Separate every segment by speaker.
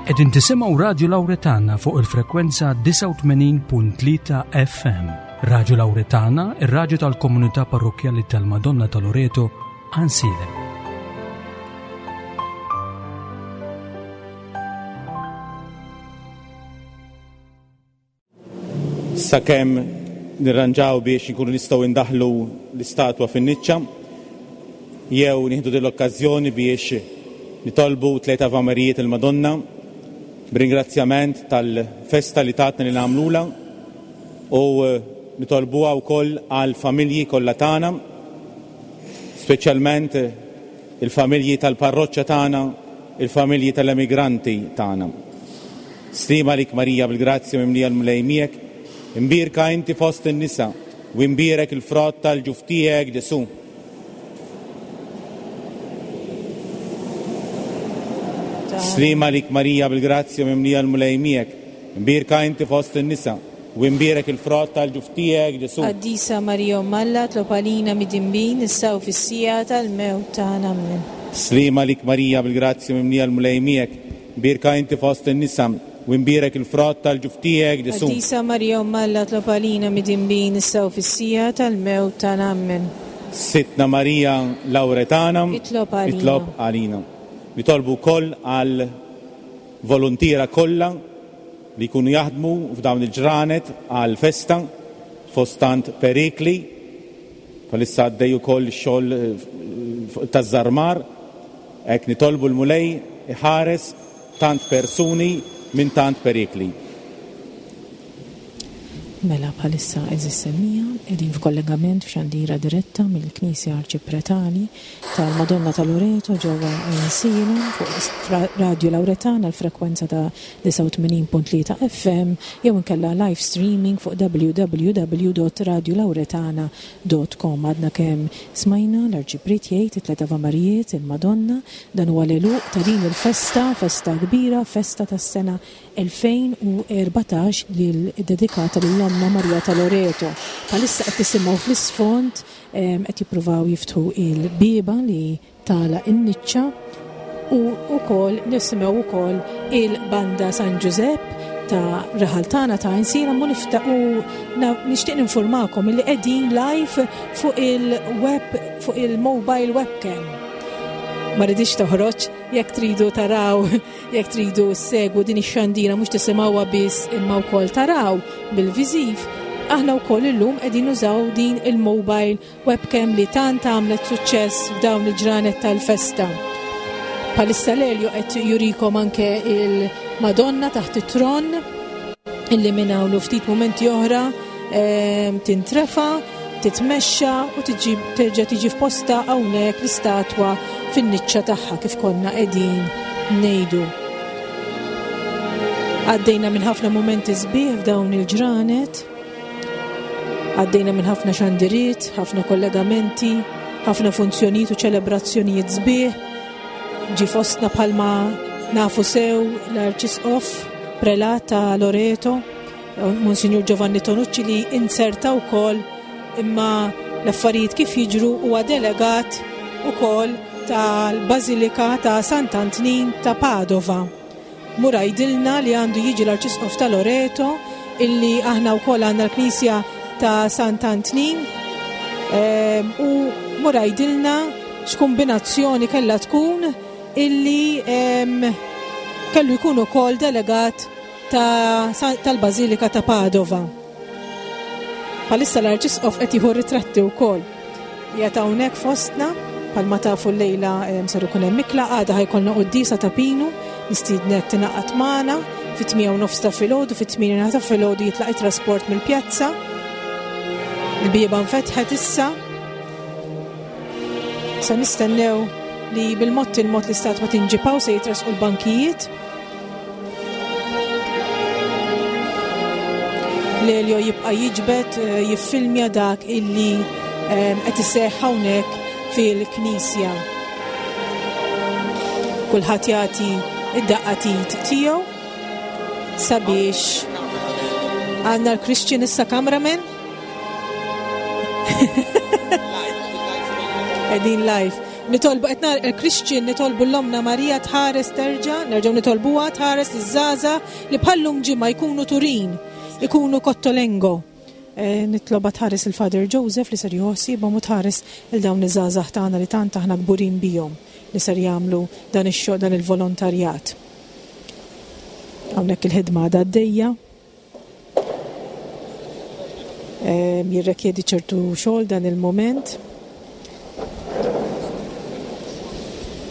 Speaker 1: Qegħdin tisimgħu Radju Lawretana fuq il-frekwenza 89.3 FM. Radju Lawretana, ir-radju tal-komunità parrokkjali tal-Madonna ta' Loreto, Għansielem.
Speaker 2: Sakemm nirranġaw biex inkunu nistgħu indaħħlu l-istatwa fin-niċċa, jew nieħdu din l-okkażjoni biex nitolbu tlejt Avamerijiet il-Madonna b'ringrazzjament tal-festa li tatna li nagħmlulha u nitolbuha wkoll għall-familji kollha tagħna, speċjalment il-familji tal-parroċċa tagħna, il-familji tal-emigranti tagħna. Sliema għalik Marija bil-grazzja mimlija l-Mulej miegħek, imbierka inti fost in-nisa u imbierek il-frott tal-ġuf tiegħek Ġesù. Sliema għalik Marija bil-grazzja mimlija l-Mulej miegħek, imbierka inti fost in-nisa u imbierek il-frott tal-ġuf tiegħek Ġesù.
Speaker 3: Qaddisa Marija Omm Alla, tlob għalina midinbin, issa u fis-siegħa tal-mewt tagħna. Ammen.
Speaker 2: Sliema għalik Marija bil-grazzja mimlija l-Mulej miegħek, imbierka inti fost in-nisa u imbierek il-frott tal-ġuf tiegħek Ġesù.
Speaker 3: Qaddisa Marija Omm Alla, tlob għalina midinbin, issa u fis-siegħa tal-mewt tagħna. Ammen.
Speaker 2: Sidtna Marija Lawretana,
Speaker 3: Itlob għalina.
Speaker 2: Itlob għalina. Nitolbu wkoll għal voluntiera kollha li jkunu jaħdmu f'dawn il-ġranet għall-festa fost tant perikli. Bħalissa għaddej ukoll ix-xogħol taż-żarmar. Hekk nitolbu l-Mulej iħares tant persuni minn tant perikli.
Speaker 3: Mela bħalissa għeżież semmiegħa qegħdin f'kollegament f'xandira diretta mill-Knisja Arċipretali tal-Madonna ta' Loreto ġewwa Għajnsielem fuq Radju Lawretana l-frekwenza ta' 89.3 FM jew inkella live streaming fuq www.radiolauretana.com. Għadna kemm smajna l-Arċipriet jgħid it-tlet Avamarijiet, il-Madonna, dan huwa l-għeluq ta' din il-festa, festa kbira, festa tas-sena 2014 li ddedikata lil Ommna Marija ta' Loreto. Bħalissa qed tisimgħu fl-isfond qed jippruvaw jiftħu il-bieba li tagħlaq in-niċċa u wkoll nisimgħu wkoll il-banda San Ġużepp ta' raħal tagħna ta' Għajnsielem u u nixtieq ninfurmakom li qegħdin live fuq il-web fuq il-mobile webcam. Ma ridix toħroġ jekk tridu taraw jekk tridu ssegwu din ix-xandira mhux tisimgħuha biss imma wkoll taraw bil-viżiv, aħna wkoll illum qegħdin nużaw din il-mobile Webcam li tant għamlet suċċess f'dawn il-ġranet tal-festa. Bħalissa l-Elio qed jurikom anke il-Madonna taħt it-tron illi minn hawn ftit mumenti oħra ehm, tintrefa, titmexxa u tiġi terġa' tiġi f'posta hawnhekk l-istatwa fin-niċċa tagħha kif konna qegħdin ngħidu. Għaddejna minn ħafna mumenti sbieħ f'dawn il-ġranet. Għaddejna minn ħafna xandiriet, ħafna kollegamenti, ħafna funzjonijiet u ċelebrazzjonijiet sbieħ. Ġi fostna bħalma nafu sew l-Arċisqof prelat ta' Loreto, Monsignor Giovanni Tonucci li inserta wkoll imma l-affarijiet kif jiġru huwa delegat ukoll tal-Bażilika ta' Sant'Antnin ta' Padova. Mur għidilna li għandu jiġi l-Arċisqof ta' Loreto illi aħna wkoll għandna l-Knisja ta' Sant'Antnin ehm, u mur għidilna x'kumbinazzjoni kellha tkun illi ehm, kellu jkun ukoll delegat tal-Bażilika ta' Padova. Bħalissa l-Arċisqof qed jieħu ritratti wkoll. Qiegħed hawnhekk fostna, bħalma tafu llejla ser ikun hemm ikla, għada ħajkollna quddiesa ta' Pinu, nistiednek tingħaqad magħna fit-8 u nofs ta' filgħodu, fit-8 ta' filgħodu jitlaq it-trasport mill-pjazza. Il-bieba nfetħet issa. Se nistennew li bil-mod il-mod l-istatwa tinġipaw se jitresqu l-bankijiet. Lelio jibqa' jiġbed eh, jiffilmja dak illi eh, qed iseħħ hawnhekk fil-knisja. Kulħadd jagħti id-daqqa tit tiegħu sabiex għandna l-Christian issa cameraman. Qegħdin live. Nitolbu qed nar il-Christian nitolbu l-Omna Marija tħares terġa', nerġgħu nitolbuha tħares liż-żgħażagħ li bħallum ġimgħa jkunu Turin, ikunu Cottolengo. Eh, nitloba tħares il-Father Joseph li ser jħossibhom u tħares il dawn iż-żgħażagħ tagħna li tant aħna kburin bihom li ser jagħmlu dan ix-xogħol dan il-volontarjat. Hawnhekk il-ħidma għadha għaddejja. Jirrekjedi ċertu xogħol dan il-mument.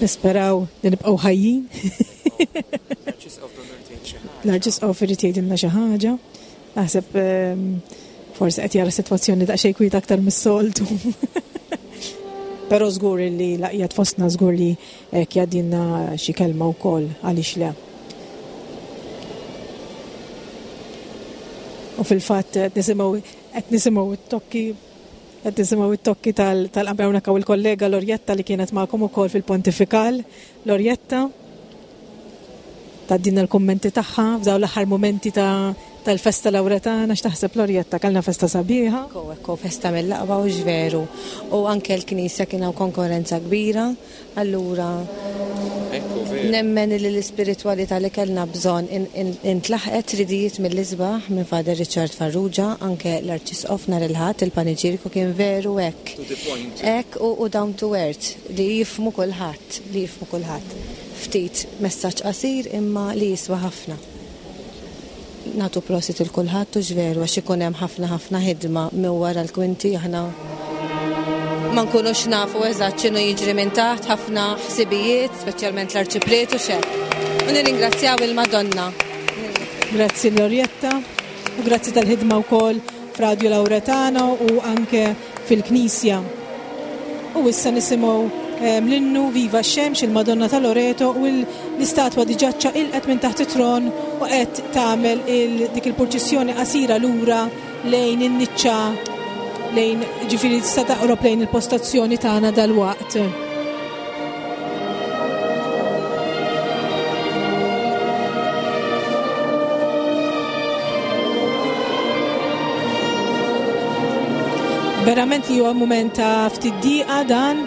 Speaker 3: Nisperaw li nibqgħu ħajjin. L-Arċisqof irid jgħidilna xi ħaġa. Naħseb forsi qed jara sitwazzjoni daqsxejn kwieta aktar mis-soltu. Però żgur li laqjat fostna żgur li hekk jgħaddilna xi kelma wkoll għaliex le. U fil-fatt qed nisimgħu qed nisimgħu t-tokki qed nisimgħu t-tokki tal-qamra hawnhekk hawn il-kollega Lorjetta li kienet magħkom ukoll fil-Pontifikal. Lorjetta tgħaddilna l-kummenti tagħha f'dawn l-aħħar mumenti ta' tal-festa Lawretana, x'taħseb Lorjetta, kellna festa sabiħa?
Speaker 4: Ekku, ekku, festa mill-aqwa hux veru. U anke l-knisja kien hawn konkorrenza kbira, allura nemmen li l-ispiritwalità li kellna bżonn intlaħqet tridijiet mill-isbaħ minn Father Richard Farrugia, anke l-Arċisqof nhar il-Ħadd il-paniġierku kien veru hekk. Hekk u down to earth li jifhmu kulħadd, li jifhmu kulħadd. Ftit messaġġ qasir imma li jiswa ħafna. Nagħtu prosit il kulħadd hux veru għax ikun hemm ħafna ħafna ħidma minn wara l-kwinti aħna ma nkunux nafu eżatt x'inhu jiġri minn taħt, ħafna ħsibijiet, speċjalment l-arċipriet u xek. U nirringrazzjaw il-Madonna.
Speaker 3: Grazzi Lorjetta u grazzi tal-ħidma wkoll f'Radio Lauretano u anke fil-Knisja. U issa nisimgħu ehm, l-innu Viva x-Xemx, il-Madonna ta' Loreto u l-istatwa diġà ċċaqilqet minn taħt it-tron u qed tagħmel dik il-purċissjoni qasira lura lejn in-niċċa lejn ġifieri tista' taqrob lejn il-postazzjoni tagħna dalwaqt. Verament li huwa mument ta' ftit diqa dan,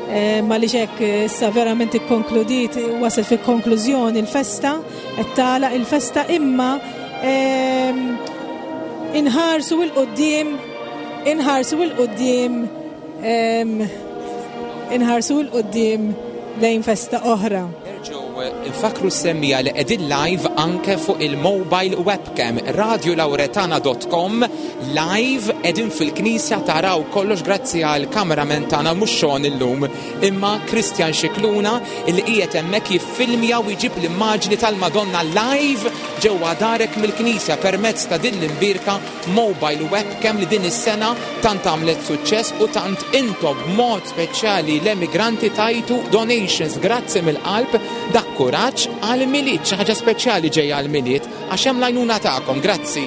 Speaker 3: eh, ma li hekk eh, issa verament ikkonkludiet wasal fil-konklużjoni l-festa, qed tagħlaq il-festa imma ehm, inħarsu il qudiem inħarsu il qudiem ehm, inħarsu il qudiem lejn festa oħra.
Speaker 5: Nerġgħu nfakkru s-semmiegħa li qegħdin live anke fuq il-mobile webcam radiolauretana.com live qegħdin fil-knisja taraw kollox grazzi għal cameraman tagħna mhux Sean illum imma Christian Scicluna li qiegħed hemmhekk jiffilmja u jġib l-immaġni tal-Madonna live ġewwa darek mill-knisja permezz ta' din l-imbierka mobile webcam li din is-sena tant għamlet suċċess u tant intom b'mod speċjali l-emigranti tajtu donations. Grazzi mill-qalb dak kuraġġ għall-Milied, xi ħaġa speċjali ġejja għall-Milied għax hemm l-għajnuna tagħkom. Grazzi.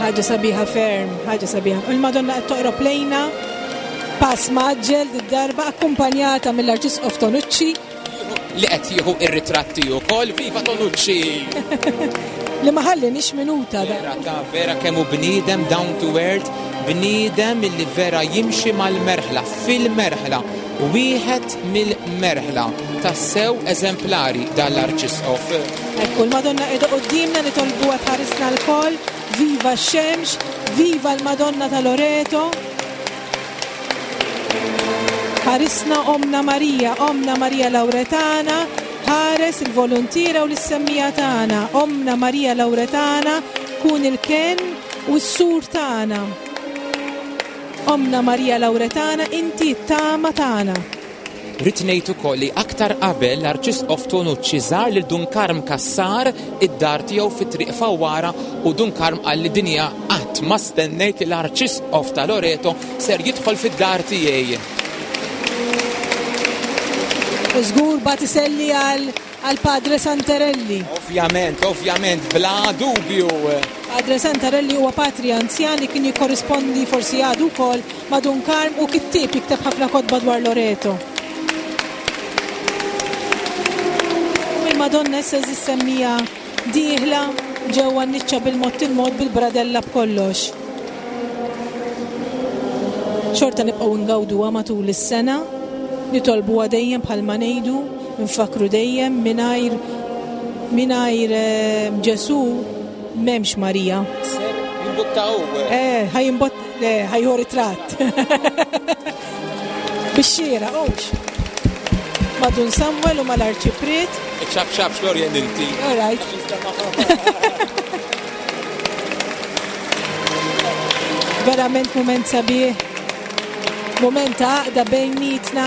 Speaker 3: Ħaġa sabiħa ferm, ħaġa sabiħa. Il-Madonna qed toqrob lejna pass mgħaġġel did-darba akkumpanjata mill-Arċisqof Tonucci.
Speaker 5: Li qed jieħu ir-ritratti wkoll, viva Tonucci!
Speaker 3: Li ma ħallinix minuta.
Speaker 5: Vera ta' vera kemm hu bniedem down to earth, bniedem illi vera jimxi mal-merħla, fil-merħla, wieħed mill-merħla, tassew eżemplari dan l-Arċisqof.
Speaker 3: Ekku l-Madonna qiegħda quddiemna nitolbuha tħarisna lkoll, viva x-xemx, viva l-Madonna ta' Loreto. Ħarisna Ommna Marija, Ommna Marija Lawretana, ħares il-voluntiera u lis-semmiegħa tagħna. Ommna Marija Lawretana, kun il-kenn u s-sur tagħna. Ommna Marija Lawretana, inti t-tama tagħna.
Speaker 5: Rrid ngħid ukoll li aktar qabel l-Arċisqof Tonucci żar lil Dun Karm Cassar id-dar tiegħu fi Triq Fawwara u Dun Karm qal li dinja qatt ma stennejt li l-Arċisqof ta' Loreto ser jidħol fid-dar tiegħi.
Speaker 3: U żgur bagħat iselli għal għal Padre Santarelli.
Speaker 5: Ovvjament, ovvjament, bla dubju.
Speaker 3: Padre Santarelli huwa patri anzjan li kien jikkorrispondi forsi għadu wkoll ma' Dun Karm u kittieb jikteb ħafna kotba dwar Loreto. U il-Madonna issa eżis semmija dieħla ġewwa n-niċċa bil-mod il-mod bil-bradella b'kollox. Xorta nibqgħu ngawduha matul is-sena. Nitolbuha dejjem bħalma ngħidu, nfakkru dejjem mingħajr mingħajr eh, Ġesù m'hemmx Marija.
Speaker 5: Ser jimbotta hu.
Speaker 3: Eh, ħa jimbott, le, ħa jieħu ritratt. Bix-xieraq, hux. Ma' Dun Samuel u mal-Arċipriet.
Speaker 5: Iċċab ċab xlorjen inti.
Speaker 3: All right. Verament mument sabiħ. Mument ta' għaqda bejnietna,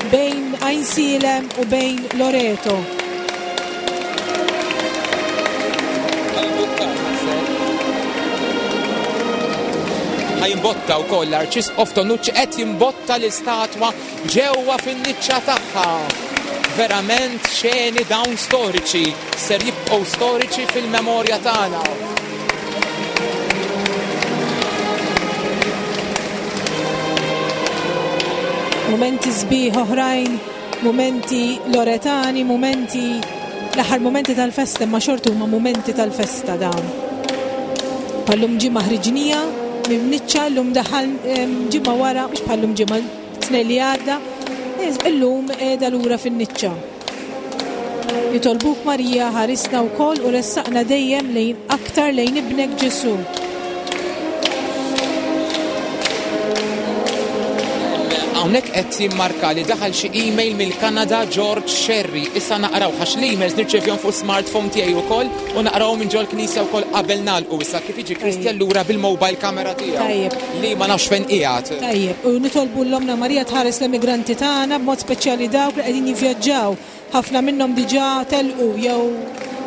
Speaker 3: bejn Għajnsielem u bejn Loreto.
Speaker 5: Ħa jimbotta wkoll l-Arċisqof Tonucci qed jimbotta l-istatwa ġewwa fin-niċċa tagħha. Verament xeni dawn storiċi ser jibqgħu storiċi fil-memorja tagħna.
Speaker 3: Mumenti sbieħ oħrajn, mumenti loretani, mumenti l-aħħar mumenti tal-festa, imma xorta huma mumenti tal-festa dawn. Bħallum ġimgħa ħriġnija minn niċċa llum daħal ġimgħa wara, mhux bħallum ġimgħa, tnejn li għadda, illum qiegħda lura fin-niċċa. Nitolbuk Marija ħarisna wkoll u ressaqna dejjem lejn aktar lejn ibnek Ġesù.
Speaker 5: Hawnhekk qed jimmarka li daħal xi email mill-Kanada George Sherry. Issa naqraw għax l-emails nirċevihom fuq smartphone tiegħi wkoll u naqrawhom minn ġol-knisja wkoll qabel nagħlqu issa kif jiġi Christian lura bil-mobile camera tiegħu.
Speaker 3: Tajjeb.
Speaker 5: Li ma nafx fejn qiegħed.
Speaker 3: Tajjeb, u nitolbu l-Ommna Marija tħares l-emigranti tagħna b'mod speċjali dawk li qegħdin jivvjaġġaw. Ħafna minnhom diġà telqu jew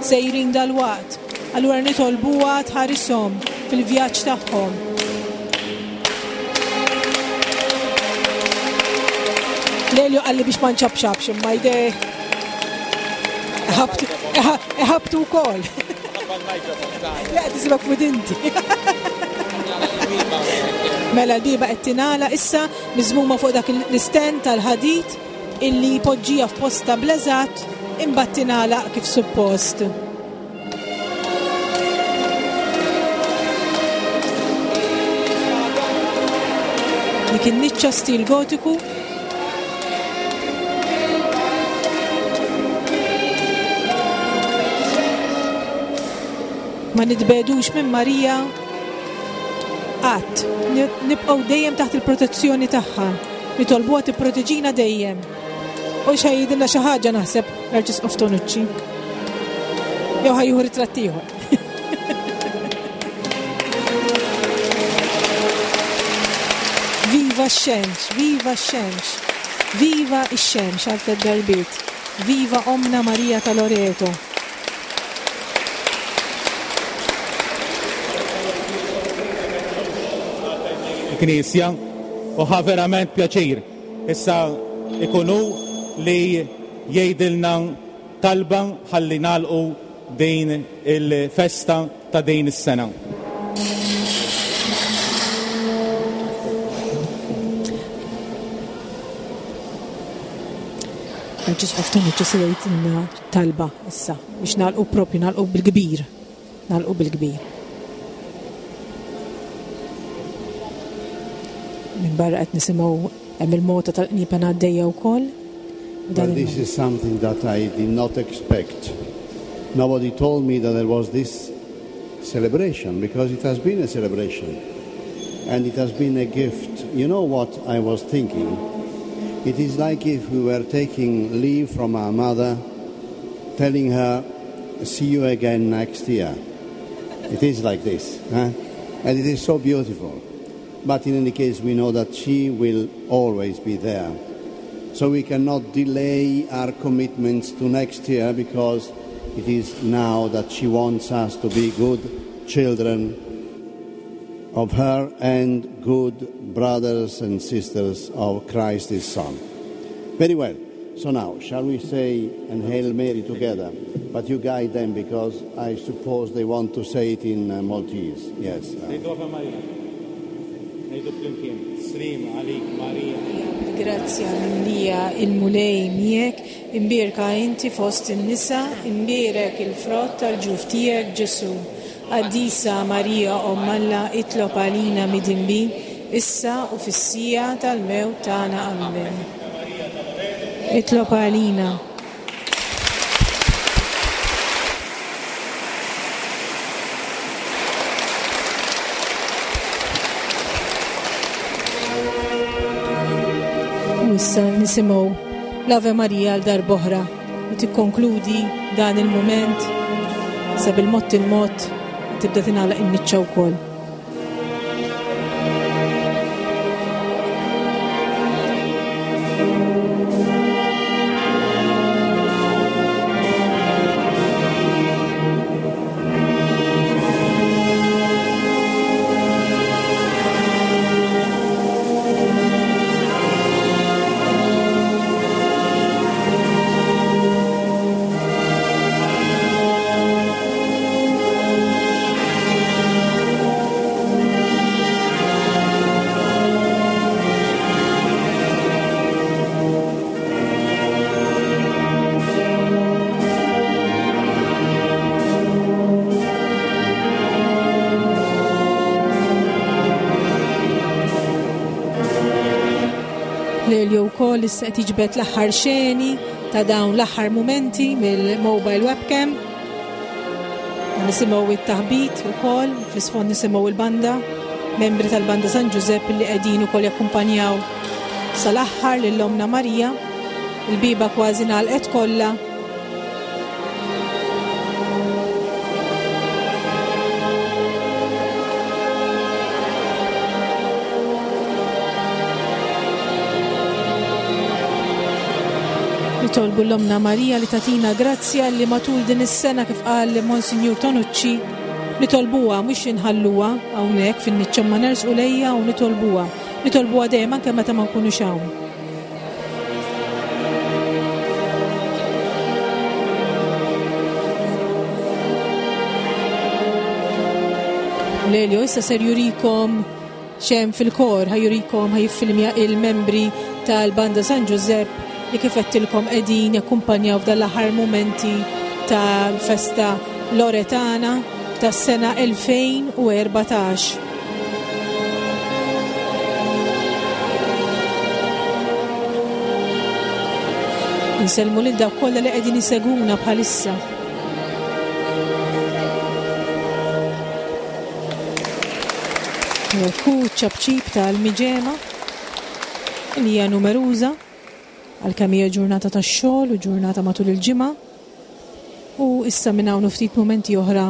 Speaker 3: sejrin dalwaqt. Allura nitolbuha tħarishom fil-vjaġġ tagħhom. Lelio qalli biex ma nċapċapx imma jdej iħabtu wkoll. Le qed isibek f'widinti. Mela l-bieba qed tingħalaq issa miżmuma fuq dak l-istand tal-ħadid illi jpoġġiha f'postha bl-eżatt imbagħad tingħalaq kif suppost. Dik in-niċċa stil gotiku Ma nitbegħdux minn Marija qatt. Nibqgħu dejjem taħt il-protezzjoni tagħha. Nitolbuha tipproteġina dejjem. U x'ħa jgħidilna xi ħaġa naħseb l-Arċisqof Tonucci. Jew ħa jieħu ritratt ieħor. Viva x-xemx, viva x-xemx, viva x-xemx għal tliet darbiet. Viva Omna Marija ta' Loreto.
Speaker 2: Knisja u ħa verament pjaċir. Issa ikun hu li jgħidilna talba ħalli nagħlqu din il-festa ta' din is-sena.
Speaker 3: Arċisqof Tonucci se jgħidilna talba issa biex nagħlqu propju nagħlqu bil-kbir. Nagħlqu bil-kbir. Minn barra qed nisimgħu hemm il-mota tal-qniepen għaddejja wkoll.
Speaker 6: Well, this is something that I did not expect. Nobody told me that there was this celebration, because it has been a celebration. And it has been a gift. You know what I was thinking? It is like if we were taking leave from our mother, telling her, see you again next year. It is like this. Huh? And it is so beautiful. But in any case, we know that she will always be there. So we cannot delay our commitments to next year, because it is now that she wants us to be good children of her and good brothers and sisters of Christ his Son. Very well. So now, shall we say and Hail Mary together? But you guide them, because I suppose they want to say it in, uh, Maltese. Yes.
Speaker 2: Ngħidu Ave Maria. Ngħidu flimkien. Sliem għalik Marija.
Speaker 3: Grazzja mimlija il-Mulej miegħek, imbierka inti fost in-nisa, imbierek il-frott tal-ġuf tiegħek Ġesù. Qaddisa Marija Omm Alla, itlob għalina midinbin, issa u fis-siegħa tal-mewt tagħna. Amen. Itlob għalina. U issa nisimgħu l-Ave Maria għal darb'oħra li tikkonkludi dan il-mument sa bil-mod il-mod tibda tingħalaq in-niċċa wkoll. Lelio wkoll issa qed jiġbed l-aħħar xeni ta' dawn l-aħħar mumenti mill-mobile webcam. Nisimgħu it-taħbit ukoll, fl-isfond nisimgħu il-banda, membri tal-Banda San Ġużepp li qegħdin ukoll jakkumpanjaw sal-aħħar lil Omna Marija. Il-bieba kważi ngħalqet kollha. Nitolbu l-Omna Marija li tatina grazzja li matul din is-sena kif qal Monsinjur Tonucci nitolbuha mhux inħalluha hawnhekk fin-niċċa ma nersqu lejha u nitolbuha. Nitolbuha dejjem anke meta ma nkunux hawn. Lelio issa ser jurikom X'hemm fil-kor ħa jurikom ħa jiffilmja il-membri tal-Banda San Ġużepp li kif għedtilkom qegħdin jakkumpanjaw f'dan l-aħħar mumenti tal-festa Loretana tas-sena 2014. Insellmu lil dawk kollha li qegħdin isegwuna bħalissa. Ku ċapċip tal-miġema li hija numeruża għalkemm hija ġurnata tax-xogħol u ġurnata matul il-ġimgħa. U issa minn hawn ftit mumenti oħra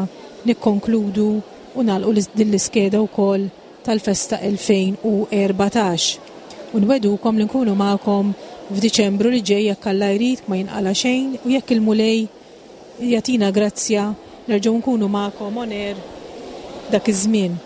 Speaker 3: nikkonkludu u nagħlqu din l-iskeda wkoll tal-festa 2014. U nwedukom li nkunu magħkom f'Diċembru li ġej jekk Alla jrid ma jinqala xejn u jekk il-Mulej Jagħtina grazzja nerġgħu nkunu magħkom on air dak iż-żmien.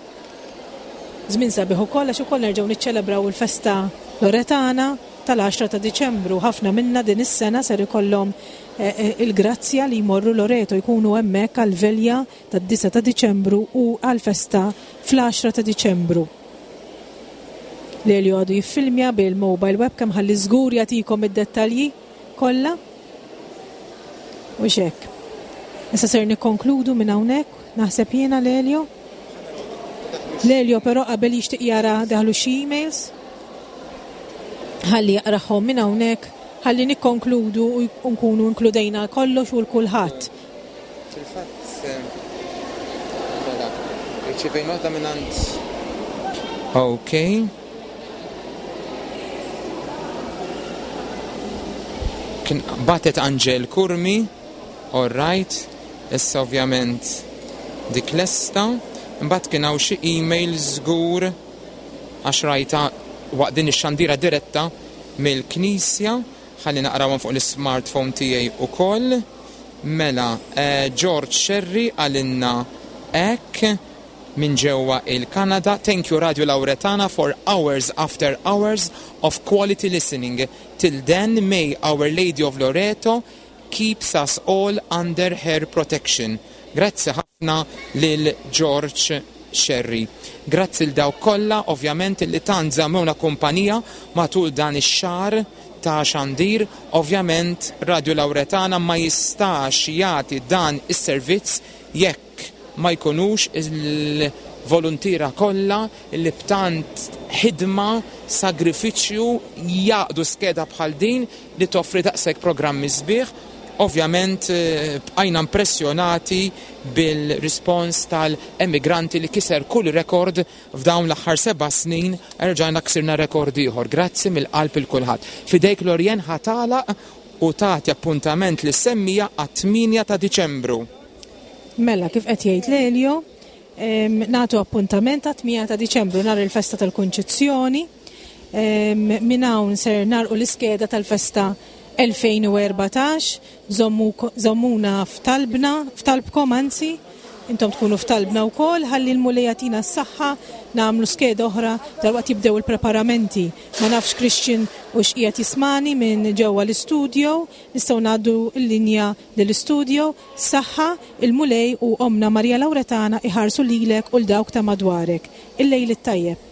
Speaker 3: Żmien sabiħ ukoll għax ukoll nerġgħu niċċelebraw il-festa Loretana tal-10 ta' Diċembru. Ħafna minna din is-sena ser ikollhom eh, eh, il-grazzja li jmorru Loreto jkunu hemmhekk għall-velja tad-9 ta' Diċembru u għall-festa fl-10 ta' Diċembru. Lelio għadu jiffilmja bil-mobile webcam ħalli żgur jagħtikom id-dettalji kollha. U hekk. Issa ser nikkonkludu minn hawnhekk, naħseb jiena Lelio. Lelio però qabel jixtieq jara daħlu xi emails. Ħalli jaqrahom minn hawnhekk, ħalli nikkonkludu u nkunu inkludejna kollox u l-kulħadd.
Speaker 5: Fil-fatt, mela, irċivejna waħda mingħand Ok. Kien batet Angel Curmi, all right, issa ovvjament dik lesta, imbagħad kien hawn xi email żgur għax rajta waqt din ix-xandira diretta mill-Knisja, ħalli naqrawhom fuq l-ismartphone tiegħi ukoll. Mela, George Scerri qalilna hekk, minn ġewwa il-Kanada, Thank you Radio Lauretana for hours after hours of quality listening. Till then may Our Lady of Loreto keeps us all under her protection. Grazzi ħafna lil George Scerri. Grazzi 'l dawk kollha ovvjament li tant żammewna kumpanija matul dan ix-xahar ta' xandir. Ovvjament Radio Lauretana ma jistax jagħti dan is-servizz jekk ma jkunux il-voluntiera kollha li b'tant. ħidma, sagrifiċċju jgħaqqdu skeda bħal din li toffri daqshekk programmi sbieħ. Ovvjament bqajna impressjonati bil-rispons tal-emigranti li kiser kull rekord f'dawn l-aħħar seba' snin, erġajna ksirna rekord ieħor. Grazzi mill-qalb il kulħadd. F'idejk Lorien ħa tagħlaq u tagħti appuntament lis-semmiegħa għat-8 ta' Diċembru.
Speaker 3: Mela, kif qed jgħid Lelio, nagħtu appuntament għat-8 ta' Diċembru nhar il-festa tal-Kunċizzjoni. Minn hawn ser nagħlqu l-iskeda tal-festa 2014. Żommuna f'talbna, f'talbkom anzi, intom tkunu f'talbna wkoll ħalli l-Mulej jagħtina s-saħħa nagħmlu skeda oħra dalwaqt jibdew il-preparamenti. Ma nafx Christian u x'qiegħed jismani minn ġewwa l-istudio, nistgħu ngħaddu l-linja lill-istudio. Saħħa, il-Mulej u Ommna Marija Lawretana iħarsu lilek u 'l dawk ta' madwarek. Il-lejl it-tajjeb.